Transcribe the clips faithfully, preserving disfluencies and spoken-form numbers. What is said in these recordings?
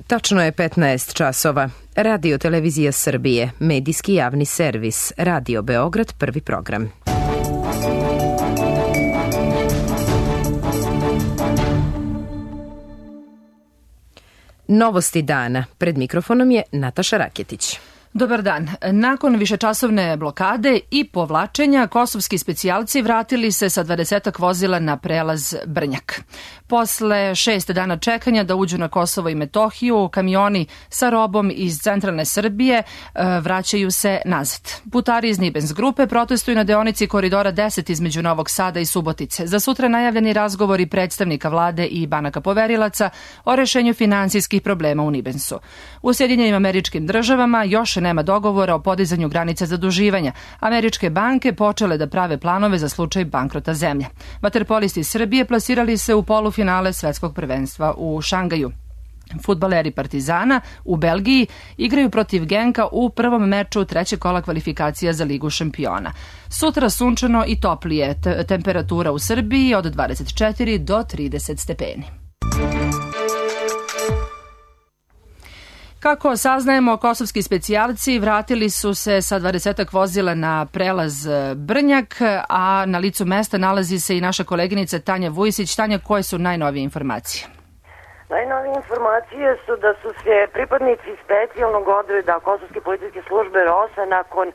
Tačno je petnaest časova. Radio Televizija Srbije, medijski javni servis, Radio Beograd, prvi program. Novosti dana. Pred mikrofonom je Nataša Raketić. Dobar dan. Nakon višečasovne blokade i povlačenja, kosovski specijalci vratili se sa dvadesetak vozila na prelaz Brnjak. Posle šest dana čekanja da uđu na Kosovo i Metohiju, kamioni sa robom iz centralne Srbije vraćaju se nazad. Putari iz Nibens grupe protestuju na deonici koridora deset između Novog Sada i Subotice. Za sutra najavljeni razgovori predstavnika vlade i banaka poverilaca o rešenju finansijskih problema u Nibensu. U Sjedinjenim Američkim Državama još nema dogovora o podizanju granice zaduživanja. Američke banke počele da prave planove za slučaj bankrota zemlje. Vaterpolisti Srbije plasirali se u polufinale svetskog prvenstva u Šangaju. Fudbaleri Partizana u Belgiji igraju protiv Genka u prvom meču trećeg kola kvalifikacija za Ligu šampiona. Sutra sunčano i toplije, temperatura u Srbiji od dvadeset četiri do trideset stepeni. Kako saznajemo, kosovski specijalci vratili su se sa dvadesetak vozila na prelaz Brnjak, a na licu mesta nalazi se i naša koleginica Tanja Vujisić. Tanja, koje su najnovije informacije? Najnovije informacije su da su se pripadnici specijalnog odreda Kosovske policijske službe ROSA nakon uh,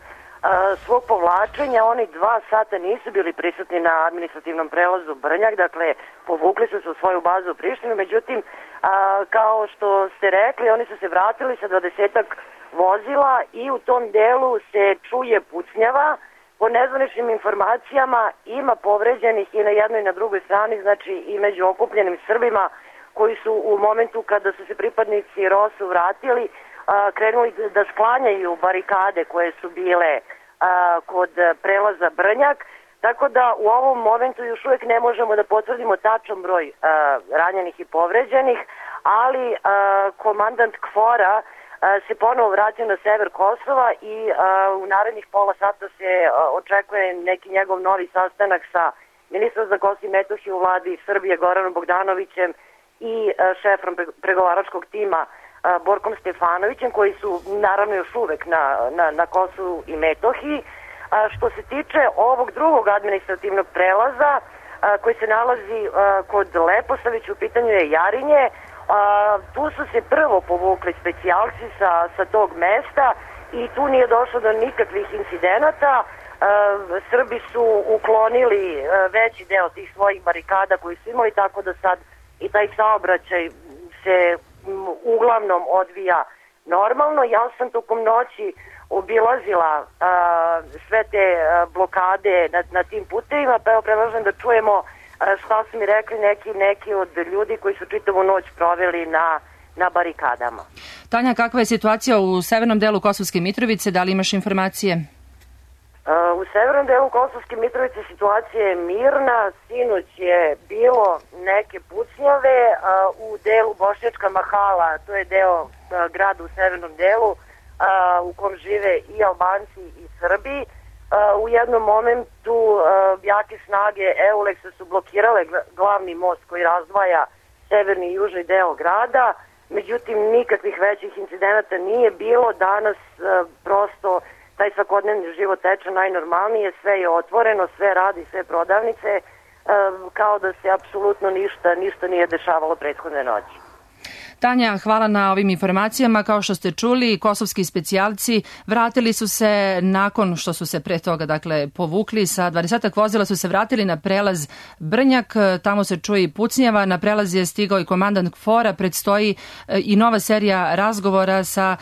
svog povlačenja, oni dva sata nisu bili prisutni na administrativnom prelazu Brnjak, dakle povukli su se u svoju bazu u Prištinu, međutim A, kao što ste rekli, oni su se vratili sa dvadesetak vozila i u tom delu se čuje pucnjava. Po nezvaničnim informacijama ima povređenih i na jednoj i na drugoj strani, znači i među okupljenim Srbima koji su u momentu kada su se pripadnici ROSU vratili a, krenuli da sklanjaju barikade koje su bile a, kod prelaza Brnjak. Tako da u ovom momentu još uvijek ne možemo da potvrdimo tačan broj uh, ranjenih i povređenih, ali uh, komandant KFOR-a uh, se ponovo vratio na sever Kosova i uh, u narednih pola sata se uh, očekuje neki njegov novi sastanak sa ministrom za Kosovo i Metohiju u vladi Srbije Goranom Bogdanovićem i uh, šefom pregovaračkog tima uh, Borkom Stefanovićem, koji su naravno još uvek na, na, na Kosovu i Metohiji. A što se tiče ovog drugog administrativnog prelaza a, koji se nalazi a, kod Leposavića, u pitanju je Jarinje, a, tu su se prvo povukli specijalci sa, sa tog mesta i tu nije došlo do nikakvih incidenata. A, Srbi su uklonili a, veći deo tih svojih barikada koji su imali, tako da sad i taj saobraćaj se m, uglavnom odvija normalno. Ja sam tokom noći obilazila a, sve te a, blokade na, na tim putevima, pa evo predlažem da čujemo a, šta su mi rekli neki, neki od ljudi koji su čitavu noć proveli na, na barikadama. Tanja, kakva je situacija u severnom delu Kosovske Mitrovice? Da li imaš informacije? A, u severnom delu Kosovske Mitrovice situacija je mirna. Sinoć je bilo neke pucnjave a, u delu Bošnjačka Mahala, to je deo a, grada u severnom delu, A, u kom žive i Albanci i Srbi. A, u jednom momentu a, jake snage Euleksa su blokirale glavni most koji razdvaja severni i južni deo grada, međutim nikakvih većih incidenata nije bilo. Danas a, prosto taj svakodnevni život teče najnormalnije, sve je otvoreno, sve radi, sve prodavnice, a, kao da se apsolutno ništa, ništa nije dešavalo prethodne noći. Tanja, hvala na ovim informacijama. Kao što ste čuli, kosovski specijalci vratili su se nakon što su se pre toga dakle, povukli sa dvadesetak vozila, su se vratili na prelaz Brnjak. Tamo se čuje i pucnjava. Na prelaz je stigao i komandant KFOR-a. Predstoji i nova serija razgovora sa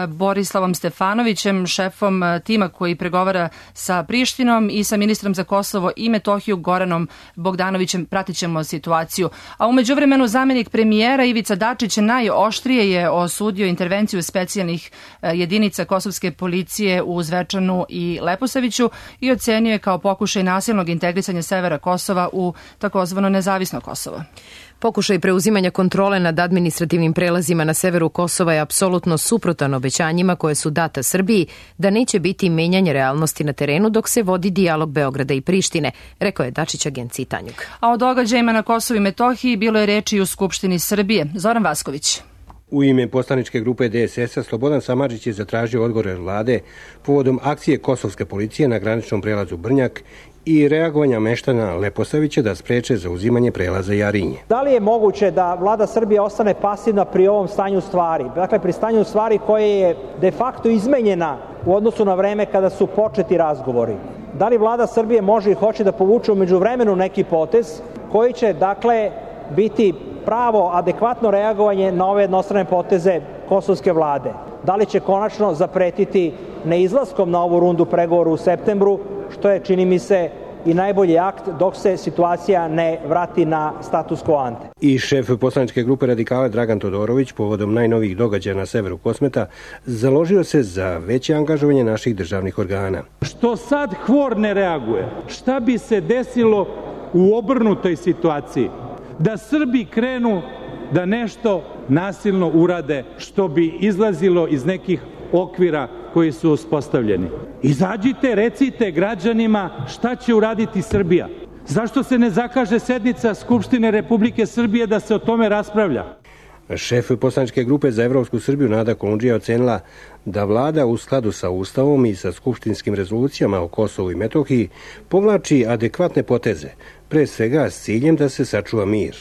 Borislavom Stefanovićem, šefom tima koji pregovara sa Prištinom, i sa ministrom za Kosovo i Metohiju Goranom Bogdanovićem. Pratit ćemo situaciju. A umeđu vremenu zamenik premijera Ivica Dačić najoštrije je osudio intervenciju specijalnih jedinica kosovske policije u Zvečanu i Leposaviću i ocenio je kao pokušaj nasilnog integrisanja severa Kosova u takozvano nezavisno Kosovo. Pokušaj preuzimanja kontrole nad administrativnim prelazima na severu Kosova je apsolutno suprotan obećanjima koje su data Srbiji da neće biti menjanje realnosti na terenu dok se vodi dijalog Beograda i Prištine, rekao je Dačić agenciji Tanjug. A o događajima na Kosovu i Metohiji bilo je reči i u Skupštini Srbije. Zoran Vasković. U ime poslaničke grupe D S S-a Slobodan Samardžić je zatražio odgovor vlade povodom akcije kosovske policije na graničnom prelazu Brnjak i reagovanja meštana Leposavića da spreče zauzimanje prelaza Jarinje. Da li je moguće da vlada Srbije ostane pasivna pri ovom stanju stvari? Dakle, pri stanju stvari koje je de facto izmenjena u odnosu na vreme kada su početi razgovori. Da li vlada Srbije može i hoće da povuče u međuvremenu neki potez koji će, dakle, biti pravo, adekvatno reagovanje na ove jednostrane poteze kosovske vlade? Da li će konačno zapretiti neizlaskom na ovu rundu pregovora u septembru, što je, čini mi se, i najbolji akt dok se situacija ne vrati na status quo ante. I šef poslaničke grupe Radikala Dragan Todorović povodom najnovijih događaja na severu Kosmeta založio se za veće angažovanje naših državnih organa. Što sad Hvor ne reaguje? Šta bi se desilo u obrnutoj situaciji? Da Srbi krenu da nešto nasilno urade što bi izlazilo iz nekih okvira koji su uspostavljeni. Izađite, recite građanima šta će uraditi Srbija. Zašto se ne zakaže sednica Skupštine Republike Srbije da se o tome raspravlja? Šef poslaničke grupe za Evropsku Srbiju Nada Kolundžija ocenila da vlada u skladu sa Ustavom i sa skupštinskim rezolucijama o Kosovu i Metohiji povlači adekvatne poteze, pre svega s ciljem da se sačuva mir.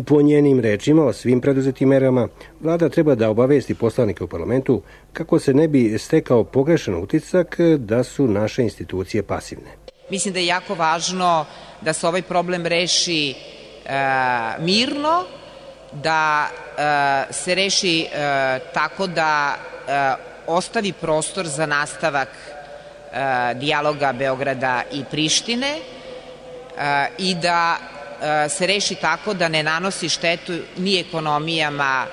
Po njenim rečima o svim preduzetim merama, vlada treba da obavesti poslanike u parlamentu kako se ne bi stekao pogrešan utisak da su naše institucije pasivne. Mislim da je jako važno da se ovaj problem reši e, mirno, da e, se reši e, tako da e, ostavi prostor za nastavak e, dijaloga Beograda i Prištine e, i da se reši tako da ne nanosi štetu ni ekonomijama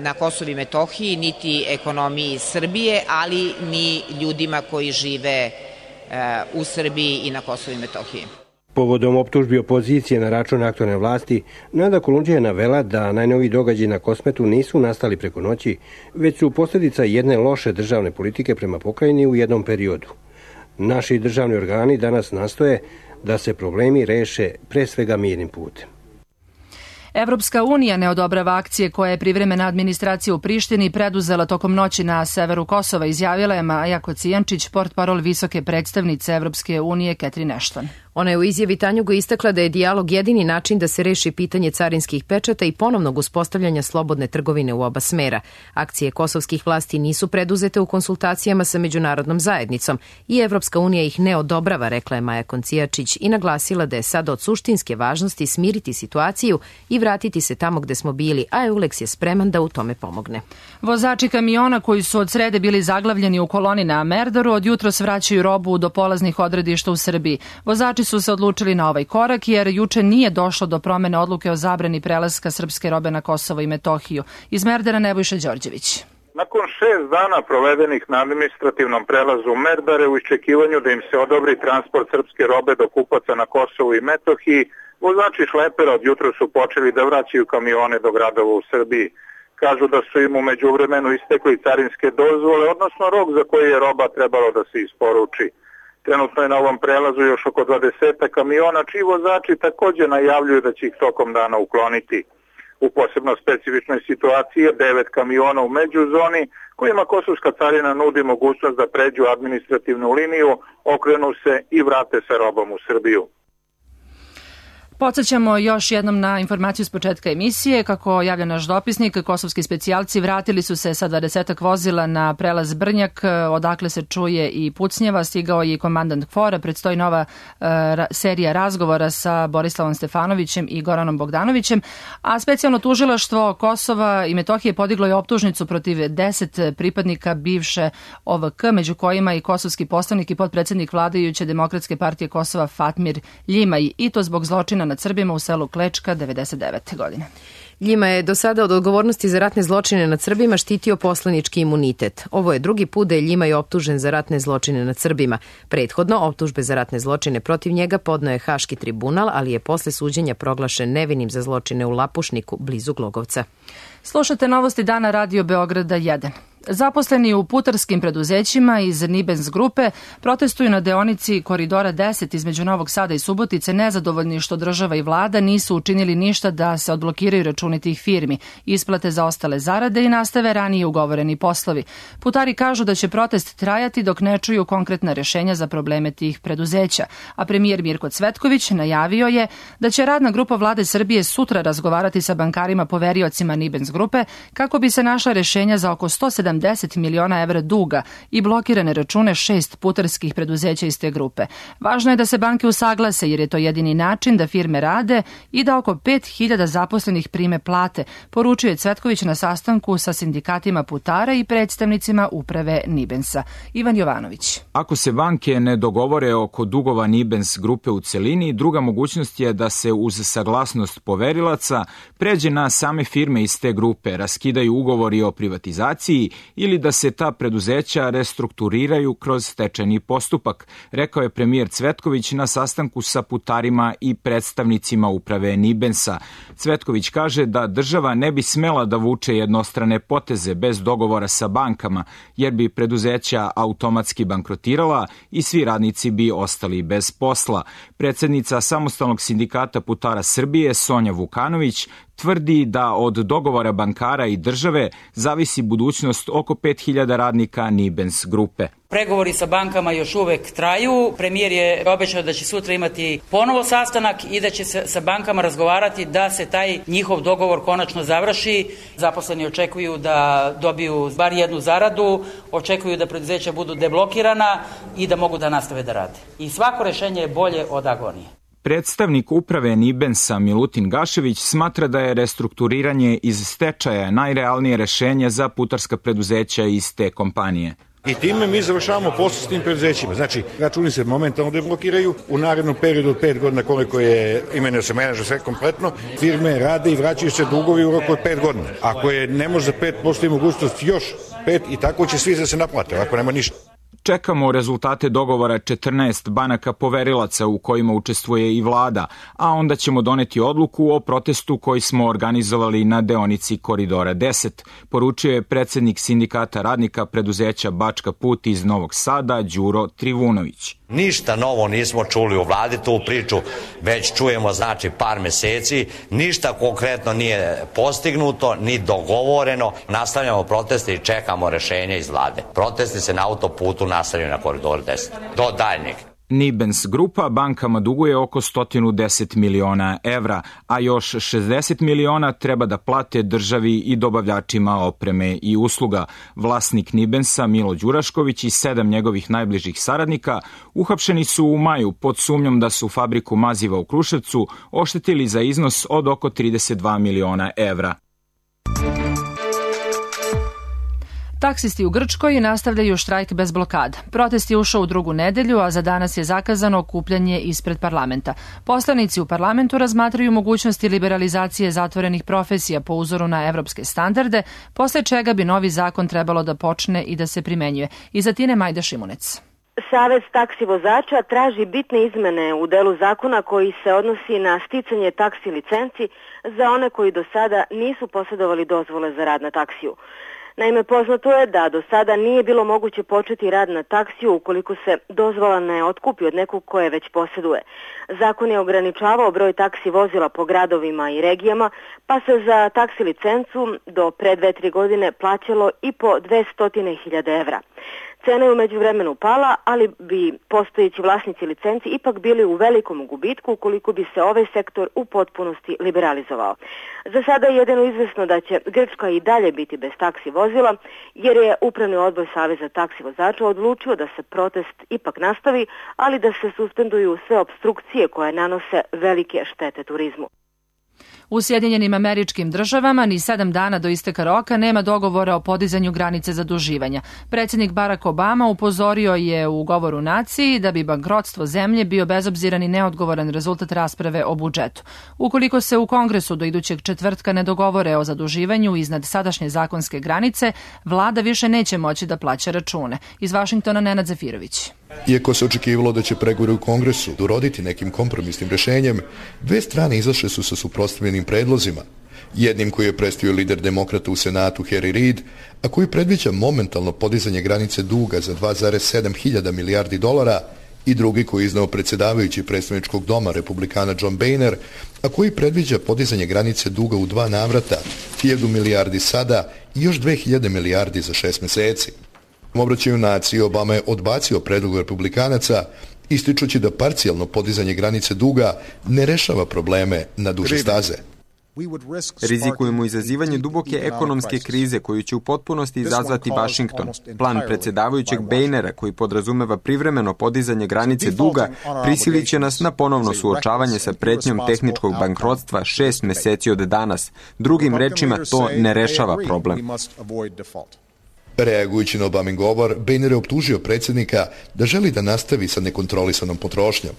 na Kosovu i Metohiji, niti ekonomiji Srbije, ali ni ljudima koji žive u Srbiji i na Kosovu i Metohiji. Povodom optužbi opozicije na račun aktualne vlasti, Nada Kolundžija je navela da najnoviji događaji na Kosmetu nisu nastali preko noći, već su posljedica jedne loše državne politike prema pokrajini u jednom periodu. Naši državni organi danas nastoje da se problemi reše pre svega mirnim putem. Evropska unija ne odobrava akcije koje je privremena administracija u Prištini preduzela tokom noći na severu Kosova, izjavila je Maja Kocijančić, portparol visoke predstavnice Evropske unije Catherine Ashton. Ona je u izjavi Tanjugu istakla da je dijalog jedini način da se reši pitanje carinskih pečata i ponovnog uspostavljanja slobodne trgovine u oba smera. Akcije kosovskih vlasti nisu preduzete u konsultacijama sa međunarodnom zajednicom i Evropska unija ih ne odobrava, rekla je Maja Kocijančić i naglasila da je sada od suštinske važnosti smiriti situaciju i vratiti se tamo gde smo bili, a Euleks je spreman da u tome pomogne. Vozači kamiona koji su od srede bili zaglavljeni u koloni na Merdaru od jutros vraćaju robu do polaznih odredišta u Srbiji. Vozači su se odlučili na ovaj korak jer juče nije došlo do promene odluke o zabrani prelaska srpske robe na Kosovo i Metohiju. Iz Merdara Nebojša Đorđević. Nakon šest dana provedenih na administrativnom prelazu Merdare u iščekivanju da im se odobri transport srpske robe do kupaca na Kosovu i Metohiji, vozači šlepera od jutra su počeli da vraćaju kamione do gradova u Srbiji. Kažu da su im u međuvremenu istekli carinske dozvole, odnosno rok za koji je roba trebalo da se isporuči. Trenutno je na ovom prelazu još oko dvadeset kamiona, čiji vozači također najavljuju da će ih tokom dana ukloniti. U posebno specifičnoj situaciji je devet kamiona u međuzoni, kojima kosovska carina nudi mogućnost da pređu administrativnu liniju, okrenu se i vrate sa robom u Srbiju. Podsjećamo još jednom na informaciju s početka emisije. Kako javlja naš dopisnik, kosovski specijalci vratili su se sa dvadesetak vozila na prelaz Brnjak, odakle se čuje i pucnjeva. Stigao je i komandant Hvora. Predstoji nova uh, serija razgovora sa Borislavom Stefanovićem i Goranom Bogdanovićem. A specijalno tužilaštvo Kosova i Metohije podiglo je optužnicu protiv deset pripadnika bivše O V K, među kojima i kosovski poslanik i potpredsednik vladajuće Demokratske partije Kosova Fatmir Ljimaj, i to zbog zločina nad Srbima u selu Klečka devedeset devete godine. Ljima je do sada od odgovornosti za ratne zločine nad Srbima štitio poslanički imunitet. Ovo je drugi put da je Ljimaj optužen za ratne zločine nad Srbima. Prethodno, optužbe za ratne zločine protiv njega podneo je Haški tribunal, ali je posle suđenja proglašen nevinim za zločine u Lapušniku, blizu Glogovca. Slušate novosti dana Radio Beograda jedan. Zaposleni u putarskim preduzećima iz Nibens grupe protestuju na deonici Koridora deset između Novog Sada i Subotice, nezadovoljni što država i vlada nisu učinili ništa da se odblokiraju računi tih firmi, isplate za ostale zarade i nastave ranije ugovoreni poslovi. Putari kažu da će protest trajati dok ne čuju konkretna rešenja za probleme tih preduzeća, a premijer Mirko Cvetković najavio je da će radna grupa vlade Srbije sutra razgovarati sa bankarima poveriocima Nibens grupe kako bi se našla rešenja za oko sto sedamdeset miliona evra duga i blokirane račune šest putarskih preduzeća iz te grupe. Važno je da se banke usaglase jer je to jedini način da firme rade i da oko pet hiljada zaposlenih prime plate, poručio je Cvetković na sastanku sa sindikatima putara i predstavnicima uprave Nibensa. Ivan Jovanović. Ako se banke ne dogovore oko dugova Nibens grupe u celini, druga mogućnost je da se uz saglasnost poverilaca pređe na same firme iz te grupe, raskidaju ugovori o privatizaciji ili da se ta preduzeća restrukturiraju kroz stečajni postupak, rekao je premijer Cvetković na sastanku sa putarima i predstavnicima uprave Nibensa. Cvetković kaže da država ne bi smela da vuče jednostrane poteze bez dogovora sa bankama, jer bi preduzeća automatski bankrotirala i svi radnici bi ostali bez posla. Predsednica Samostalnog sindikata putara Srbije, Sonja Vukanović, tvrdi da od dogovora bankara i države zavisi budućnost oko pet hiljada radnika Nibens grupe. Pregovori sa bankama još uvek traju. Premijer je obećao da će sutra imati ponovo sastanak i da će se sa bankama razgovarati da se taj njihov dogovor konačno završi. Zaposleni očekuju da dobiju bar jednu zaradu, očekuju da preduzeća budu deblokirana i da mogu da nastave da rade. I svako rešenje je bolje od agonije. Predstavnik uprave Nibensa Milutin Gašević smatra da je restrukturiranje iz stečaja najrealnije rešenje za putarska preduzeća iz te kompanije. I time mi završavamo posao s tim preduzećima. Znači, računi se momentalno deblokiraju, u narednom periodu od pet godina koliko je imenio se menadžer sve kompletno, firme rade i vraćaju se dugovi u roku od pet godina. Ako je ne može za pet, postoji mogućnost još pet i tako će svi da se naplate, ako nema ništa. Čekamo rezultate dogovora četrnaest banaka poverilaca u kojima učestvuje i vlada, a onda ćemo doneti odluku o protestu koji smo organizovali na deonici Koridora deset, poručio je predsednik sindikata radnika preduzeća Bačka put iz Novog Sada, Đuro Trivunović. Ništa novo nismo čuli u vladi, tu priču već čujemo znači par meseci, ništa konkretno nije postignuto, ni dogovoreno, nastavljamo proteste i čekamo rešenje iz vlade. Protesti se na autoputu nastavljaju na Koridoru deset, do daljnjeg. Nibens grupa bankama duguje oko sto deset miliona evra, a još šezdeset miliona treba da plate državi i dobavljačima opreme i usluga. Vlasnik Nibensa Milo Đurašković i sedam njegovih najbližih saradnika uhapšeni su u maju pod sumnjom da su fabriku maziva u Kruševcu oštetili za iznos od oko trideset dva miliona evra. Taksisti u Grčkoj nastavljaju štrajk bez blokada. Protest je ušao u drugu nedelju, a za danas je zakazano okupljanje ispred parlamenta. Poslanici u parlamentu razmatraju mogućnosti liberalizacije zatvorenih profesija po uzoru na evropske standarde, posle čega bi novi zakon trebalo da počne i da se primenjuje. Iz Atine Majda Šimunec. Savez taksi vozača traži bitne izmene u delu zakona koji se odnosi na sticanje taksi licenci za one koji do sada nisu posjedovali dozvole za rad na taksiju. Naime, poznato je da do sada nije bilo moguće početi rad na taksiju ukoliko se dozvola ne otkupi od nekog koje već posjeduje. Zakon je ograničavao broj taksi vozila po gradovima i regijama, pa se za taksi licencu do pre dve, tri godine plaćalo i po dvesta hiljada evra. Cena je u međuvremenu pala, ali bi postojeći vlasnici licenci ipak bili u velikom gubitku ukoliko bi se ovaj sektor u potpunosti liberalizovao. Za sada je jedino izvesno da će Grčka i dalje biti bez taksi vozila, jer je Upravni odbor Saveza taksi vozača odlučio da se protest ipak nastavi, ali da se suspenduju sve opstrukcije koje nanose velike štete turizmu. U Sjedinjenim Američkim Državama ni sedam dana do isteka roka nema dogovora o podizanju granice zaduživanja. Predsjednik Barack Obama upozorio je u govoru naciji da bi bankrotstvo zemlje bio bezobziran i neodgovoran rezultat rasprave o budžetu. Ukoliko se u Kongresu do idućeg četvrtka ne dogovore o zaduživanju iznad sadašnje zakonske granice, vlada više neće moći da plaća račune. Iz Vašingtona Nenad Zafirović. Iako se očekivalo da će pregovori u Kongresu doroditi nekim kompromisnim rešenjem, dve strane izašle su sa suprotstavljenim predlozima. Jednim koji je predstavio lider demokrata u Senatu Harry Reid, a koji predviđa momentalno podizanje granice duga za dva zarez sedam hiljada milijardi dolara, i drugi koji je iznao predsjedavajući predstavničkog doma republikana John Boehner, a koji predviđa podizanje granice duga u dva navrata, hiljadu milijardi sada i još dve hiljade milijardi za šest meseci. U obraćanju naciji Obama je odbacio predlog republikanaca, ističući da parcijalno podizanje granice duga ne rešava probleme na duže staze. Rizikujemo izazivanje duboke ekonomske krize koju će u potpunosti izazvati Vašington. Plan predsjedavajućeg Boehnera koji podrazumeva privremeno podizanje granice duga prisilit će nas na ponovno suočavanje sa pretnjom tehničkog bankrotstva šest meseci od danas. Drugim rečima, to ne rešava problem. Reagujući na Obamin govor, Boehner je optužio predsjednika da želi da nastavi sa nekontrolisanom potrošnjom.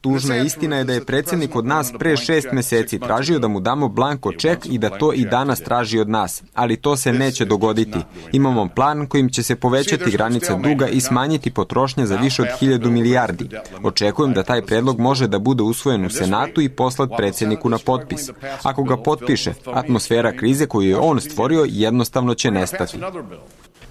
Tužna istina je da je predsjednik od nas pre šest meseci tražio da mu damo blanko ček i da to i danas traži od nas, ali to se neće dogoditi. Imamo plan kojim će se povećati granica duga i smanjiti potrošnja za više od hiljadu milijardi. Očekujem da taj predlog može da bude usvojen u Senatu i poslat predsjedniku na potpis. Ako ga potpiše, atmosfera krize koju je on stvorio jednostavno će nestati.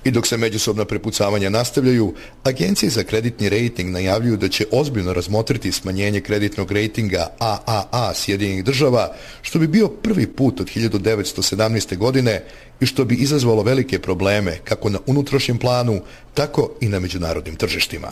I dok se međusobna prepucavanja nastavljaju, agencije za kreditni rejting najavljuju da će ozbiljno razmotriti smanjenje kreditnog rejtinga A A A Sjedinjenih država, što bi bio prvi put od hiljadu devetsto sedamnaeste. godine i što bi izazvalo velike probleme kako na unutrašnjem planu, tako i na međunarodnim tržištima.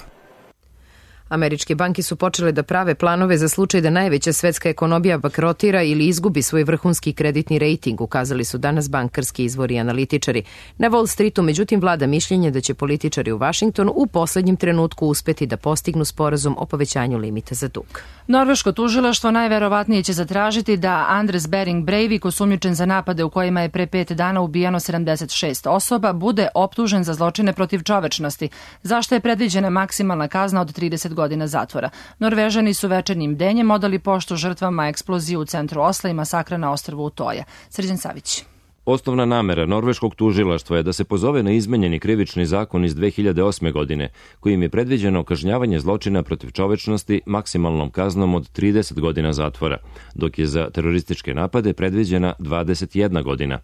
Američke banke su počele da prave planove za slučaj da najveća svetska ekonomija bankrotira ili izgubi svoj vrhunski kreditni rejting, ukazali su danas bankarski izvori i analitičari. Na Wall Streetu, međutim, vlada mišljenje da će političari u Vašingtonu u poslednjem trenutku uspeti da postignu sporazum o povećanju limita za dug. Norveško tužilaštvo najverovatnije će zatražiti da Anders Behring Breivik, osumnjičen za napade u kojima je pre pet dana ubijano sedamdeset šest osoba, bude optužen za zločine protiv čovečnosti, zašto je predviđena maksimalna kazna od trideset godina zatvora. Norvežani su večernjim bdenjem odali poštu žrtvama eksplozije u centru Osla i masakra na ostrvu Utoja. Srđan Savić. Osnovna namera norveškog tužilaštva je da se pozove na izmenjeni krivični zakon iz dve hiljade osme. godine, kojim je predviđeno kažnjavanje zločina protiv čovečnosti maksimalnom kaznom od trideset godina zatvora, dok je za terorističke napade predviđena dvadeset jedna godina.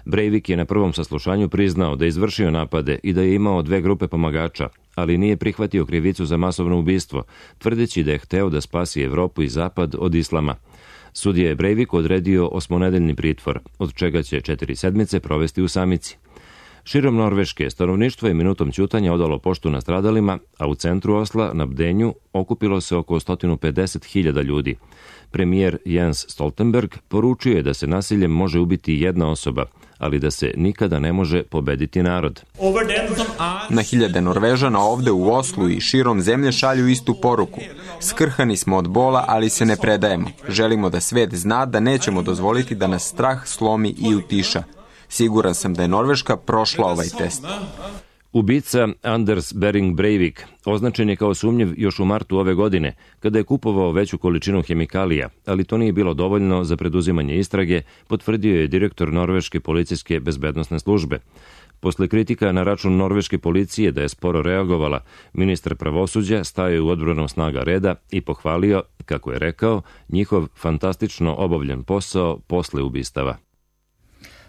Breivik je na prvom saslušanju priznao da je izvršio napade i da je imao dve grupe pomagača, ali nije prihvatio krivicu za masovno ubistvo, tvrdeći da je hteo da spasi Evropu i Zapad od islama. Sudija je Breiviku odredio osmonedeljni pritvor, od čega će četiri sedmice provesti u samici. Širom Norveške stanovništvo je minutom ćutanja odalo poštu nastradalima, a u centru Osla na bdenju okupilo se oko sto pedeset hiljada ljudi. Premijer Jens Stoltenberg poručio je da se nasiljem može ubiti jedna osoba, ali da se nikada ne može pobediti narod. Na hiljade Norvežana ovde u Oslu i širom zemlje šalju istu poruku. Skrhani smo od bola, ali se ne predajemo. Želimo da svet zna da nećemo dozvoliti da nas strah slomi i utiša. Siguran sam da je Norveška prošla ovaj test. Ubica Anders Behring Breivik označen je kao sumnjiv još u martu ove godine, kada je kupovao veću količinu hemikalija, ali to nije bilo dovoljno za preduzimanje istrage, potvrdio je direktor Norveške policijske bezbednosne službe. Posle kritika na račun norveške policije da je sporo reagovala, ministar pravosuđa stao je u odbranu snaga reda i pohvalio, kako je rekao, njihov fantastično obavljen posao posle ubistava.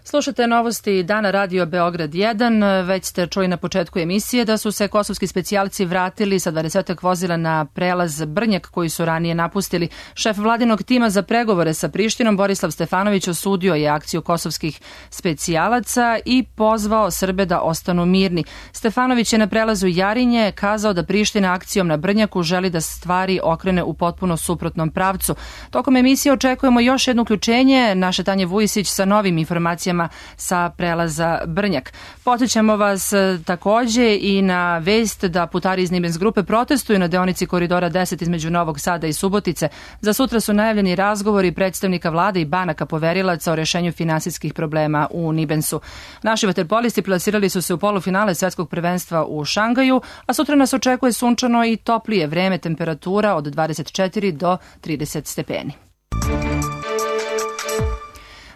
Slušate novosti Dana Radio Beograd jedan. Već ste čuli na početku emisije da su se kosovski specijalci vratili sa dvadesetak vozila na prelaz Brnjak koji su ranije napustili. Šef vladinog tima za pregovore sa Prištinom Borislav Stefanović osudio je akciju kosovskih specijalaca i pozvao Srbe da ostanu mirni. Stefanović je na prelazu Jarinje kazao da Priština akcijom na Brnjaku želi da stvari okrene u potpuno suprotnom pravcu. Tokom emisije očekujemo još jedno uključenje naše Tanje Vujisić sa novim informacijama sa prelaza Brnjak. Podsjećamo vas takođe i na vest da putari iz Nibens grupe protestuju na deonici koridora deset između Novog Sada i Subotice. Za sutra su najavljeni razgovori predstavnika vlade i banaka poverilaca o rešenju finansijskih problema u Nibensu. Naši vaterpolisti plasirali su se u polufinale svetskog prvenstva u Šangaju, a sutra nas očekuje sunčano i toplije vreme, temperatura od dvadeset četiri do trideset stepeni.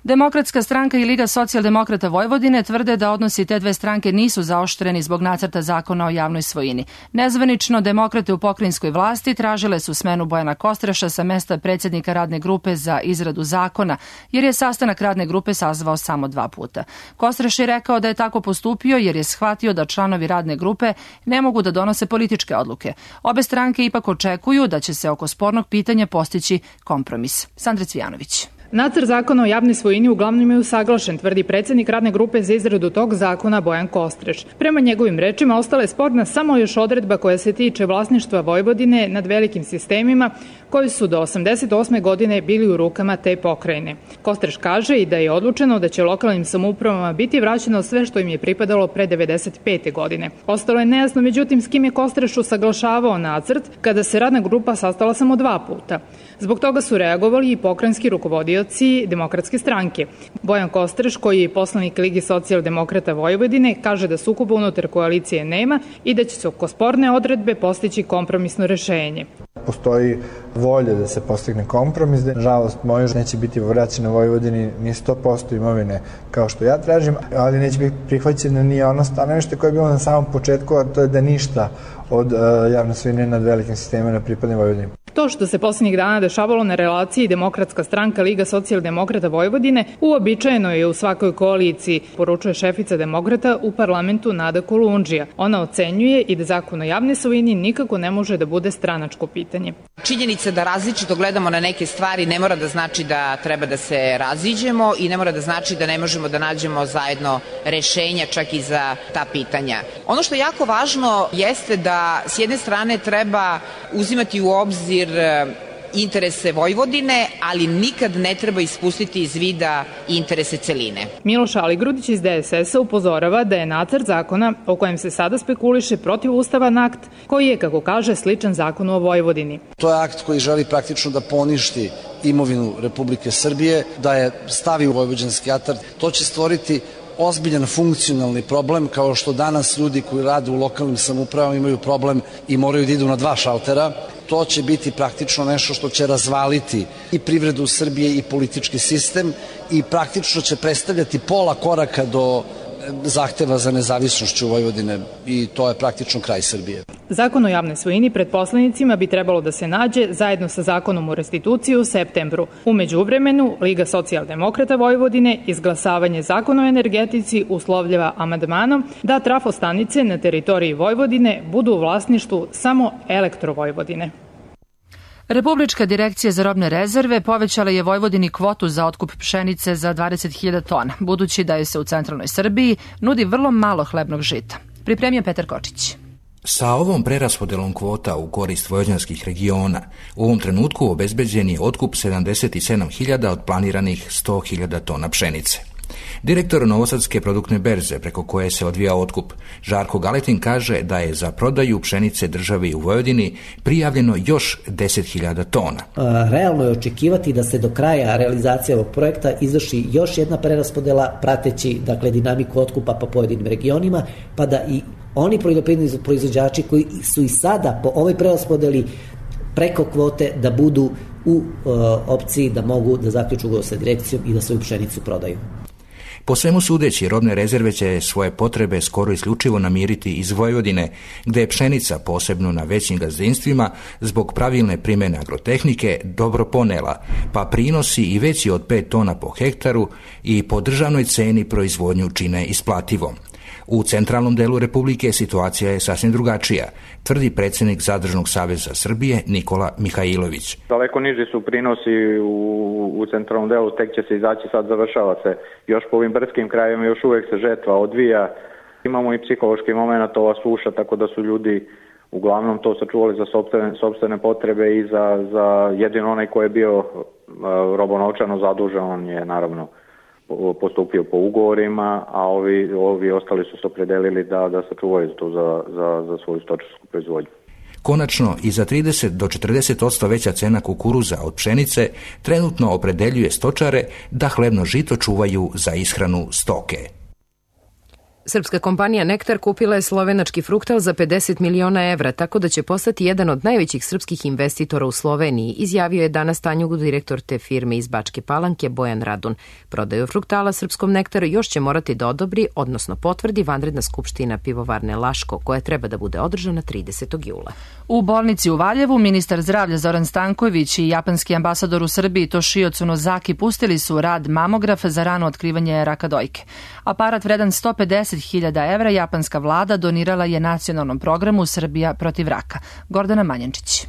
Demokratska stranka i Liga socijaldemokrata Vojvodine tvrde da odnosi te dve stranke nisu zaoštreni zbog nacrta zakona o javnoj svojini. Nezvanično, demokrate u pokrajinskoj vlasti tražile su smenu Bojana Kostreša sa mesta predsjednika radne grupe za izradu zakona, jer je sastanak radne grupe sazvao samo dva puta. Kostreš je rekao da je tako postupio jer je shvatio da članovi radne grupe ne mogu da donose političke odluke. Obe stranke ipak očekuju da će se oko spornog pitanja postići kompromis. Sandra Cvijanović. Nacrt zakona o javnoj svojini uglavnom je usaglašen, tvrdi predsjednik radne grupe za izradu tog zakona Bojan Kostreš. Prema njegovim rečima ostala je sporna samo još odredba koja se tiče vlasništva Vojvodine nad velikim sistemima koji su do osamdeset osme godine bili u rukama te pokrajine. Kostreš kaže i da je odlučeno da će lokalnim samoupravama biti vraćeno sve što im je pripadalo pre devedeset pete godine. Ostalo je nejasno, međutim, s kim je Kostreš usaglašavao nacrt kada se radna grupa sastala samo dva puta. Zbog toga su reagovali i pokrajinski rukovodioci Demokratske stranke. Bojan Kostreš, koji je poslanik Ligi socijaldemokrata Vojvodine, kaže da sukoba unutar koalicije nema i da će se oko sporne odredbe postići kompromisno rešenje. Postoji volja da se postigne kompromis, da nažalost moje neće biti vraćeno Vojvodini ni sto posto imovine kao što ja tražim, ali neće biti prihvaćeno ni ono stanovište koje je bilo na samom početku, a to je da ništa od uh, javne svojine nad velikim sistemima ne pripadne Vojvodini. To što se posljednjih dana dešavalo na relaciji Demokratska stranka Liga socijaldemokrata Vojvodine uobičajeno je u svakoj koaliciji, poručuje šefica Demokrata u parlamentu Nada Kolundžija. Ona ocenjuje i da zakon o javnoj svojini nikako ne može da bude stranačko pitanje. Činjenica da različito gledamo na neke stvari ne mora da znači da treba da se raziđemo i ne mora da znači da ne možemo da nađemo zajedno rešenja čak i za ta pitanja. Ono što je jako važno jeste da s jedne strane treba uzimati u obzir interese Vojvodine, ali nikad ne treba ispustiti iz vida interese celine. Miloš Aligrudić iz D S S-a upozorava da je nacrt zakona o kojem se sada spekuliše protivustavan akt koji je, kako kaže, sličan zakonu o Vojvodini. To je akt koji želi praktično da poništi imovinu Republike Srbije, da je stavi u vojvođanski atar. To će stvoriti ozbiljan funkcionalni problem, kao što danas ljudi koji rade u lokalnim samoupravama imaju problem i moraju da idu na dva šaltera. To će biti praktično nešto što će razvaliti i privredu Srbije i politički sistem i praktično će predstavljati pola koraka do zahteva za nezavisnošću Vojvodine i to je praktično kraj Srbije. Zakon o javnoj svojini pred poslanicima bi trebalo da se nađe zajedno sa zakonom o restituciji u septembru. U međuvremenu, Liga socijaldemokrata Vojvodine izglasavanje zakona o energetici uslovljava amandmanom da trafostanice na teritoriji Vojvodine budu u vlasništvu samo Elektrovojvodine. Republička direkcija za robne rezerve povećala je Vojvodini kvotu za otkup pšenice za dvadeset hiljada tona, budući da je se u centralnoj Srbiji nudi vrlo malo hlebnog žita. Pripremio Petar Kočić. Sa ovom preraspodelom kvota u korist vojvođanskih regiona, u ovom trenutku obezbeđen je otkup sedamdeset sedam hiljada od planiranih sto hiljada tona pšenice. Direktor Novosadske produktne berze, preko koje se odvija otkup, Žarko Galetin, kaže da je za prodaju pšenice državi u Vojvodini prijavljeno još deset hiljada tona. Realno je očekivati da se do kraja realizacije ovog projekta izvrši još jedna preraspodela, prateći dakle dinamiku otkupa po pojedinim regionima, pa da i oni poljoprivredni proizvođači koji su i sada po ovoj preraspodeli preko kvote da budu u uh, opciji da mogu da zaključu ugovor sa direkcijom i da svoju pšenicu prodaju. Po svemu sudeći, robne rezerve će svoje potrebe skoro isključivo namiriti iz Vojvodine, gde je pšenica, posebno na većim gazdinstvima, zbog pravilne primjene agrotehnike dobro ponela, pa prinosi i veći od pet tona po hektaru i po državnoj ceni proizvodnju čine isplativom. U centralnom delu Republike situacija je sasvim drugačija, tvrdi predsjednik Zadružnog saveza Srbije Nikola Mihajlović. Daleko niži su prinosi u, u centralnom delu, tek će se izaći, sad završava se još po ovim brdskim krajevima, još uvek se žetva odvija. Imamo i psihološki moment, ova suša, tako da su ljudi uglavnom to sačuvali za sopstvene, sopstvene potrebe i za, za jedino onaj ko je bio uh, robonovčano zadužen, on je naravno postupio po ugovorima, a ovi, ovi ostali su se opredelili da, da sačuvaju to za, za, za svoju stočarsku proizvodnju. Konačno, i za trideset do četrdeset posto veća cena kukuruza od pšenice trenutno opredeljuje stočare da hlebno žito čuvaju za ishranu stoke. Srpska kompanija Nektar kupila je slovenački Fruktal za pedeset miliona evra, tako da će postati jedan od najvećih srpskih investitora u Sloveniji, izjavio je danas Tanjugu direktor te firme iz Bačke Palanke Bojan Radun. Prodaju Fruktala srpskom Nektaru još će morati da odobri, odnosno potvrdi vanredna skupština pivovarne Laško, koja treba da bude održana tridesetog jula. U bolnici u Valjevu ministar zdravlja Zoran Stanković i japanski ambasador u Srbiji Toshio Tsunozaki pustili su rad mamograf za rano otkrivanje raka dojke. Aparat vredan sto pedeset hiljada evra japanska vlada donirala je nacionalnom programu Srbija protiv raka. Gordana Manjančić.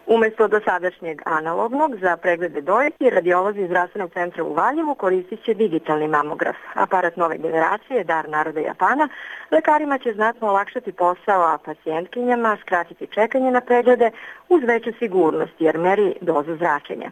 Umesto dosadašnjeg analognog za preglede dojke, radiolozi iz zdravstvenog centra u Valjevu koristit će digitalni mamograf. Aparat nove generacije, dar naroda Japana, lekarima će znatno olakšati posao, a pacijentkinjama skratiti čekanje na preglede uz veću sigurnost jer meri dozu zračenja.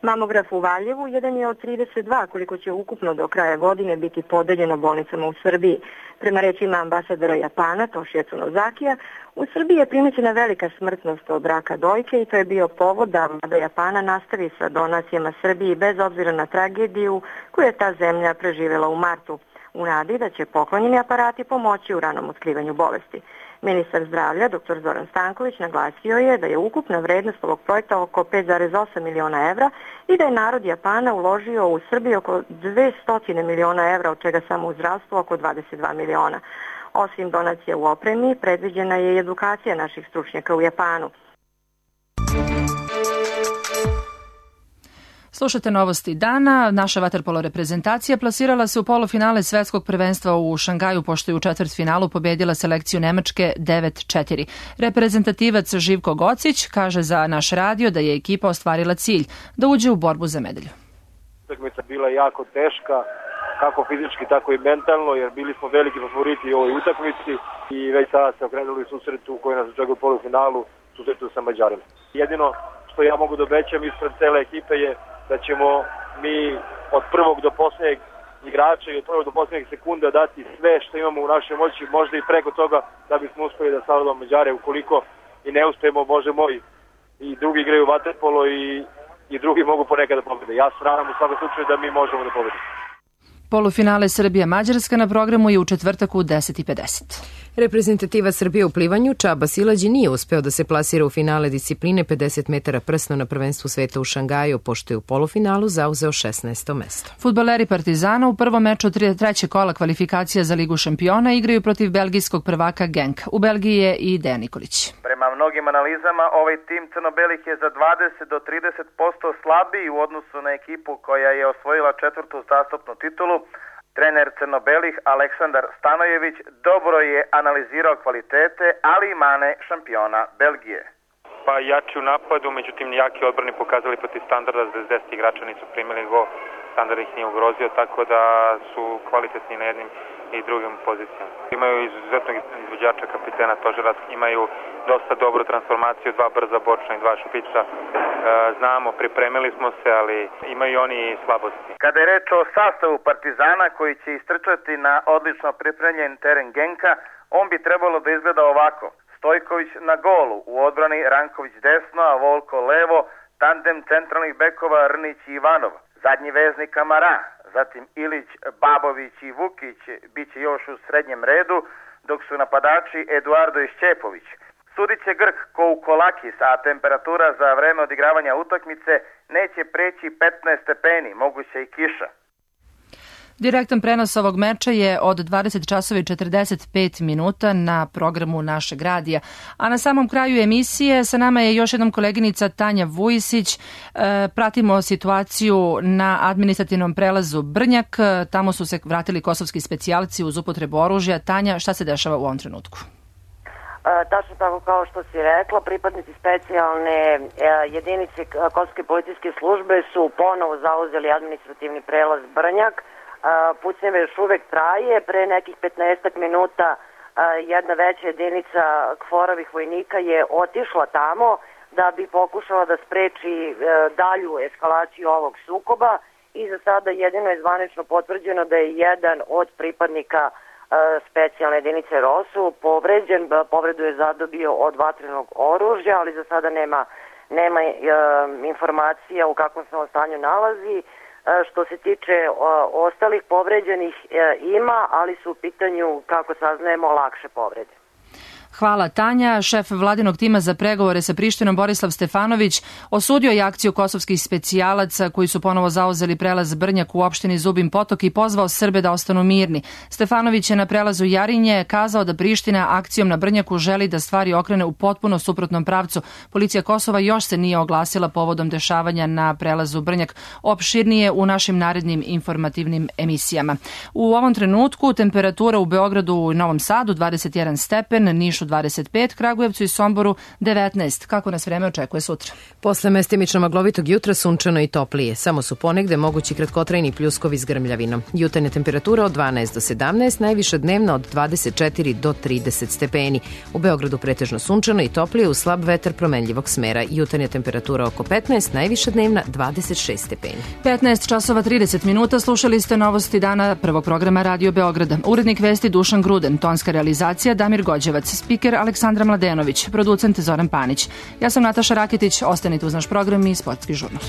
Mamograf u Valjevu jedan je od trideset dva koliko će ukupno do kraja godine biti podeljeno bolnicama u Srbiji. Prema rečima ambasadora Japana Toshio Tsunozakija, u Srbiji je primećena velika smrtnost od raka dojke i to je bio povod da vlada Japana nastavi sa donacijama Srbiji bez obzira na tragediju koju je ta zemlja preživjela u martu, u nadi da će poklonjeni aparati pomoći u ranom otkrivanju bolesti. Ministar zdravlja, dr Zoran Stanković, naglasio je da je ukupna vrednost ovog projekta oko pet zarez osam miliona evra i da je narod Japana uložio u Srbiji oko dvesta miliona evra, od čega samo u zdravstvo oko dvadeset dva miliona. Osim donacija u opremi, predviđena je i edukacija naših stručnjaka u Japanu. Slušate novosti dana. Naša vaterpolo reprezentacija plasirala se u polufinale svetskog prvenstva u Šangaju, pošto je u četvrtfinalu pobedila selekciju Nemačke devet četiri. Reprezentativac Živko Gocić kaže za naš radio da je ekipa ostvarila cilj, da uđe u borbu za medalju. Utakmica bila jako teška, kako fizički, tako i mentalno, jer bili smo veliki favoriti u ovoj utakmici i već sada se okrenuli susretu koji nas očekuje u polufinalu, susretu sa Mađarima. Jedino što ja mogu da obećam ispred cele ekipe je da ćemo mi od prvog do posljednjeg igrača i od prvog do posljednjeg sekunda dati sve što imamo u našoj moći, možda i preko toga da bismo uspeli da savladamo Mađare. Ukoliko i ne uspemo, Bože moj, i drugi igraju vaterpolo i, i drugi mogu ponekad da pobede. Ja se nadam u svakom slučaju da mi možemo da pobedimo. Polufinale Srbija-Mađarska na programu je u četvrtak u deset i pedeset. Reprezentativa Srbije u plivanju Čaba Silađi nije uspeo da se plasira u finale discipline pedeset metara prsno na prvenstvu sveta u Šangaju, pošto je u polufinalu zauzeo šesnaesto mesto. Fudbaleri Partizana u prvom meču trećeg kola kvalifikacija za Ligu šampiona igraju protiv belgijskog prvaka Genk. U Belgiji je i Dejan Nikolić. Prema mnogim analizama, ovaj tim crno-belih je za dvadeset do trideset posto slabiji u odnosu na ekipu koja je osvojila četvrtu uzastopnu titulu. Trener crno-belih Aleksandar Stanojević dobro je analizirao kvalitete, ali i mane šampiona Belgije. Pa jači u napadu, međutim jaki odbrani pokazali protiv standarda, da deset igrača nisu primili gol, standard ih nije ugrozio, tako da su kvalitetni na jednim i drugim pozicijama. Imaju izuzetnog izvođača, kapitena Tožerac, imaju dosta dobru transformaciju, dva brza bočna i dva špica. E, znamo, pripremili smo se, ali imaju oni i slabosti. Kada je reč o sastavu Partizana koji će istrčati na odlično pripremljen teren Genka, on bi trebalo da izgleda ovako. Stojković na golu, u odbrani Ranković desno, a Volko levo, tandem centralnih bekova Rnić i Ivanov, zadnji veznik Kamara, zatim Ilić, Babović i Vukić bit će još u srednjem redu, dok su napadači Eduardo i Šćepović. Sudit će Grk Koukolakis, a temperatura za vreme odigravanja utakmice neće preći petnaest stepeni, moguće i kiša. Direktan prenos ovog meča je od dvadeset časova i četrdeset pet minuta na programu našeg radija. A na samom kraju emisije sa nama je još jednom koleginica Tanja Vujisić. E, pratimo situaciju na administrativnom prelazu Brnjak. Tamo su se vratili kosovski specijalci uz upotrebu oružja. Tanja, šta se dešava u ovom trenutku? E, tačno tako kao što si rekla, pripadnici specijalne e, jedinice Kosovske policijske službe su ponovo zauzeli administrativni prelaz Brnjak. Pucnjeve još uvek traje. Pre nekih petnaestak minuta jedna veća jedinica Kforovih vojnika je otišla tamo da bi pokušala da spreči dalju eskalaciju ovog sukoba i za sada jedino je zvanično potvrđeno da je jedan od pripadnika specijalne jedinice ROSU povređen, povredu je zadobio od vatrenog oružja, ali za sada nema, nema informacija u kakvom se on stanju nalazi. Što se tiče ostalih povređenih ima, ali su u pitanju, kako saznajemo, lakše povrede. Hvala Tanja. Šef vladinog tima za pregovore sa Prištinom Borislav Stefanović osudio je akciju kosovskih specijalaca koji su ponovo zauzeli prelaz Brnjak u opštini Zubin Potok i pozvao Srbe da ostanu mirni. Stefanović je na prelazu Jarinje kazao da Priština akcijom na Brnjaku želi da stvari okrene u potpuno suprotnom pravcu. Policija Kosova još se nije oglasila povodom dešavanja na prelazu Brnjak. Opširnije u našim narednim informativnim emisijama. U ovom trenutku temperatura u Beogradu i Novom Sadu dvadeset jedan stepen, Nišu dvadeset pet, Kragujevcu i Somboru devetnaest. Kako nas vreme očekuje sutra? Posle mestimično maglovitog jutra sunčano i toplije. Samo su ponegde mogući kratkotrajni pljuskovi s grmljavinom. Jutarnja temperatura od dvanaest do sedamnaest, najviša dnevna od dvadeset četiri do trideset stepeni. U Beogradu pretežno sunčano i toplije uz slab vetar promenljivog smera. Jutarnja temperatura oko petnaest, najviša dnevna dvadeset šest stepeni. petnaest časova trideset minuta, slušali ste novosti dana prvog programa Radio Beograda. Urednik vesti Dušan Gruden, tonska realizacija Damir Gođevac, spiker Aleksandra Mladenović, producent Zoran Panić. Ja sam Nataša Raketić, ostanite uz naš program i sportski žurnal.